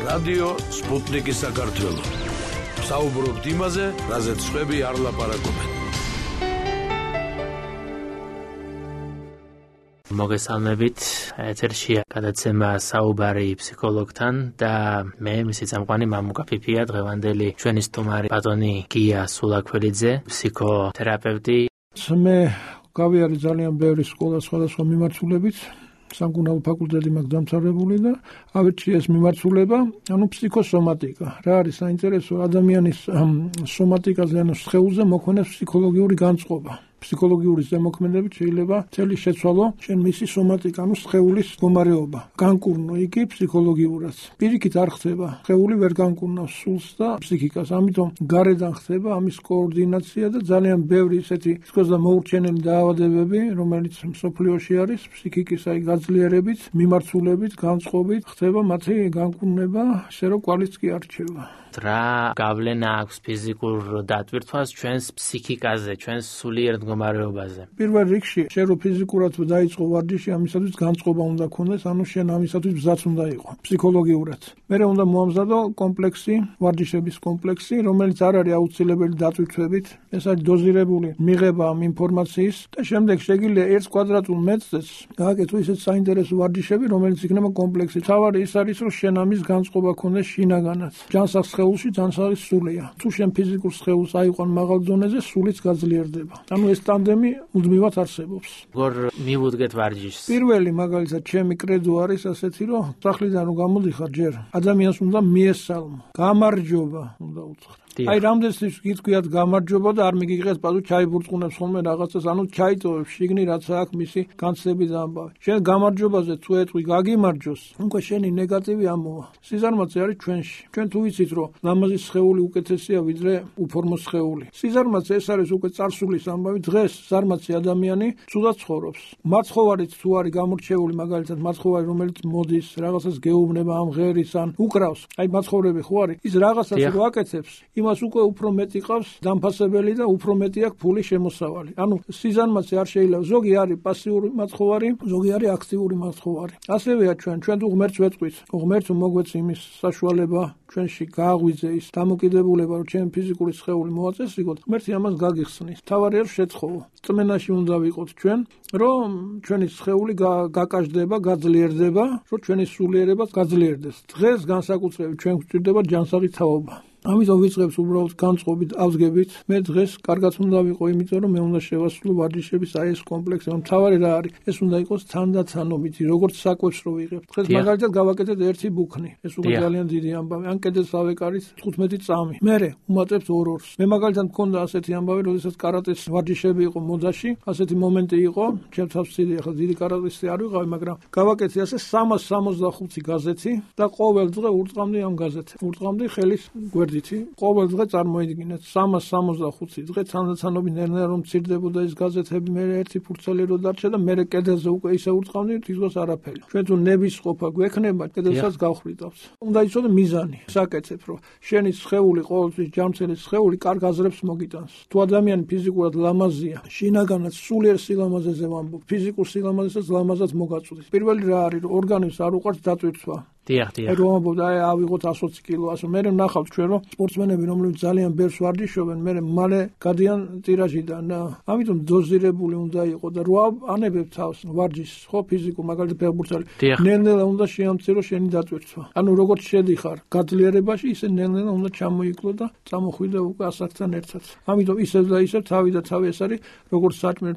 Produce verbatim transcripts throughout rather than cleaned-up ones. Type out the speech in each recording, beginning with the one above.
რადიო სპუტნიკი საქართველო. საუბრობთ იმაზე, რაზეც სხვები არ ლაპარაკობენ. მოგესალმებით, ეთერშია გადაცემა საუბარი ფსიქოლოგთან და მე მისი წამყვანი მამუკა ფიფია, დღევანდელი ჩვენი სტუმარი ბატონი გია სულაქველიძე, ფსიქოთერაპევტი. მე გავიარე ძალიან ბევრი სკოლა სხვადასხვა მიმართულებით, სამკურნალო ფაკულტეტი მაქვს დამთავრებული და ავირჩიე ეს მიმართულება, ანუ ფსიქოსომატიკა. რა არის საინტერესო ადამიანის სომატიკაზე, ანუ სხეულზე მოქმედებს ფსიქოლოგიური განწყობა. ფსიქოლოგიური ზემოქმედებით შეიძლება წელი შეცვალო შენ მისი სომატიკა, ანუ სხეულის მდგომარეობა. განკურნო იგი ფსიქოლოგიურად. პირიქით არ ხდება, სხეული ვერ განკურნავს სულს და ფსიქიკას, ამიტომ გარედან ხდება ამის კოორდინაცია და ძალიან ბევრი ისეთი თქოს და მოურჩენელი დაავადებები, რომელიც მსოფლიოში არის, ფსიქიკის აი გაძლიერებით, მიმართულებით, განწყობით ხდება მათი განკურნება, ისე რომ კვალიც კი არ რჩება. რა გავლენა აქვს ფიზიკურ დატვირთვას ჩვენს ფსიქიკაზე, ჩვენს სულიერ მდგომარეობაზე? პირველ რიგში, შენ რო ფიზიკურად დაიწყო ვარჯიში, ამისათვის განწყობა უნდა ქონდეს, ანუ შენ ამისათვის ბზაც უნდა იყო, ფსიქოლოგიურად. მერე უნდა მოამზადო კომპლექსი, ვარჯიშების კომპლექსი, რომელიც არ არის აუცილებელი დატვირთვებით, ეს არის დოზირებული მიღება ამ ინფორმაციის და შემდეგ შეგიძლია ერთ კვადრატულ მეტრზეც გააკეთო ისეთ საინტერესო ვარჯიშები, რომელიც იქნება კომპლექსი. თავარი ის არის, რომ შენ ამის განწყობა ქონდეს შინაგანაც. ჯანსაღ სხეულში ჯანსაღი სულია. თუ შენ ფიზიკურ სხეულს აიყვან მაღალ დონეზე, სულიც გაძლიერდება. ანუ ეს ტანდემი მუდმივად არსებობს. როგორ მივუდგეთ ვარჯიშს? პირველი მაგალითად ჩემი კრედო არის ასეთი, რომ სახლიდან რომ გამოდიხარ ჯერ, ადამიანს უნდა მიესალმო. გამარჯობა უნდა უთხრა. აი რამდენს გითქვიათ გამარჯობა და არ მიგიღეთ პატუ ჩაი ბურწყუნებს ხოლმე რაღაცას, ანუ ჩაიტოვებს შიგნი რაც აქვს მისი განცდები და ამბავი. შენ გამარჯობაზე თუ ეტყვი გაგიმარჯოს, უკვე შენი ნეგატივი ამოვა. სიზარმაცე არის ჩვენში. ჩვენ თუ ვიცით რომ ლამაზი სხეული უკეთესია ვიდრე უფორმო სხეული. სიზარმაცე ეს არის უკვე წარსულის ამბავი. დღეს ზარმაცი ადამიანი ცუდად ცხოვრობს. მაცხოვარით თუ არის გამორჩეული მაგალითად მაცხოვარი რომელიც მოდის რაღაცას გეუბნება ამ ღერის ან უკრავს. აი მაცხოვრები ხო არის? ის რაღაცას რო აკეთებს მას უკვე უფრო მეტი ყავს დამფასებელი და უფრო მეტი აქვს ფული შემოსავალი. ანუ სიზარმაცე არ შეიძლება. ზოგი არის პასიური მაცხოვარი, ზოგი არის აქტიური მაცხოვარი. ასევეა ჩვენ, ჩვენ თუ ღმერთს ვეტყვით, ღმერთს მოგვეც იმის საშუალება ჩვენში გააღვიძე ის დამოკიდებულება, რომ ჩვენ ფიზიკური სხეული მოაწესრიგოთ, ღმერთი ამას გაგიხსნის. თავარია რომ შეცხოვო. წმენაში უნდა ვიყოთ ჩვენ, რომ ჩვენი სხეული გაკაშდება, გაძლიერდება, რომ ჩვენი სულიერება გაძლიერდეს. დღეს განსაკუთრებით ჩვენ გვჭირდება ჯანსაღი თაობა. ამიტომ ვიწყებს უბრალოდ განწყობით, ავსგებით. მე დღეს კარგად უნდა ვიყო, იმიტომ რომ მე უნდა შევასრულო ვარჯიშების აი ეს კომპლექსი. ამ თავარი რა არის? ეს უნდა იყოს თანდათანობითი, როგორც საკვებს რო ვიღებ. დღეს მაგალითად გავაკეთეთ ერთი ბუქნი. ეს უკვე ძალიან დიდი ამბავი. ან კიდეს ავეკარით თხუთმეტი წამი. მერე უმატებთ ორ-ორს. მე მაგალითად მქონდა ასეთი ამბავი, როდესაც კარატეს ვარჯიშები იყო მოდაში, ასეთი მომენტი იყო, ჩემ თავს ვცდი, ახლა დიდი კარატისტი არ ვიყავი, მაგრამ გავაკეთე ასე სამას სამოცდახუთი გაზეთი და ყოველ დღე ურწყამდი ამ გაზეთებს. ურწყამდი ხელის გვერდით. ყოველ დღე წარმოიდგინეთ სამას სამოცდახუთი დღე თანდათანობით ნელ-ნელა რომ მცირდებოდა ეს გაზეთები, მე ერთი ფურცელი რო დარჩა და მე კედელზე უკვე ისე ურწყავდი, თითქოს არაფერი. ჩვენ თუ ნების ყოფა გვექნება, კედელსაც გავხრიტავს. უნდა იცოდე მიზანი. საკეთებ რომ შენი სხეული ყოველთვის ჯანმრთელი სხეული კარგ აზრებს მოგიტანს. თუ ადამიანი ფიზიკურად ლამაზია, შინაგანად სულიერ სილამაზეზე ვამბობ, ფიზიკურ სილამაზესაც ლამაზად მოგაწვდის. პირველი რა არის, რომ ორგანიზმს არ უყვარს დატვირთვა. დიახ, დიახ. რომ ამბობ, აი ავიღოთ ოცი კილო, ასე მე ვნახავთ ჩვენ რომ სპორტსმენები რომლებიც ძალიან ბევრს ვარჯიშობენ, მე მალე გადიან ტირაჟიდან და ამიტომ დოზირებული უნდა იყო და რო ანებებ თავს ვარჯიშს, ხო ფიზიკურ მაგალითად ფეხბურთელი, ნელ-ნელა უნდა შეამცირო შენი დატვირთვა. ანუ როგორც შედიხარ გაძლიერებაში, ისე ნელ-ნელა უნდა ჩამოიკლო და წამოხვიდე უკვე ასაკთან ერთად. ამიტომ ისევ და ისევ თავი და თავი ეს არის როგორც საჭმელ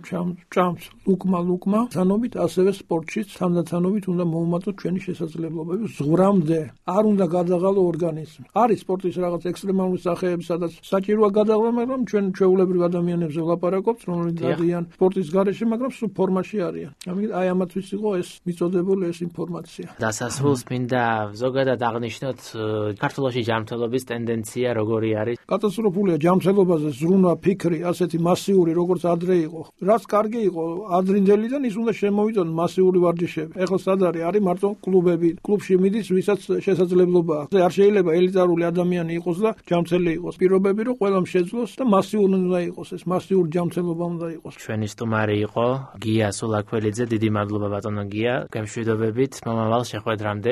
ჭამს, ლუკმა ლუკმა, თანობით ასევე სპორტშიც თანდათანობით უნდა მოუმატოთ ჩვენი შესაძლებლობები. ზღვრამდე არ უნდა გადაღალო ორგანიზმი. არის სპორტის რაღაც ექსტრემალური სახეები, სადაც საჭიროა გადაღლა, მაგრამ ჩვენ ჩვეულებრივ ადამიანებზე ვლაპარაკობთ, რომლებიც დადიან სპორტის გარეშე, მაგრამ სულ ფორმაში არიან. ამიტომ აი ამათთვის იყო ეს მიწოდებული ეს ინფორმაცია. დასასრულს მინდა ზოგადად აღნიშნოთ საქართველოში ჯანმრთელობის ტენდენცია როგორი არის? კატასტროფულია ჯანმრთელობაზე ზრუნვა, ფიქრი, ასეთი მასიური, როგორც ადრე იყო. რაც კარგი იყო ადრინდელიდან ის უნდა შემოვიდონ მასიური ვარჯიშები. ეხლა სად არის? არის მარტო კლუბები, კლუბში მიდის, ვისაც შესაძლებლობა აქვს. არ შეიძლება ელიტარული ადამიანი იყოს და ჯანმრთელი იყოს. პირობები რომ ყველამ შეძლოს და მასიური უნდა იყოს, ეს მასიური ჯანმრთელობა უნდა იყოს. ჩვენი სტუმარი იყო გია სულაქველიძე, დიდი მადლობა ბატონო გია. გემშვიდობებით მომავალ შეხვედრამდე.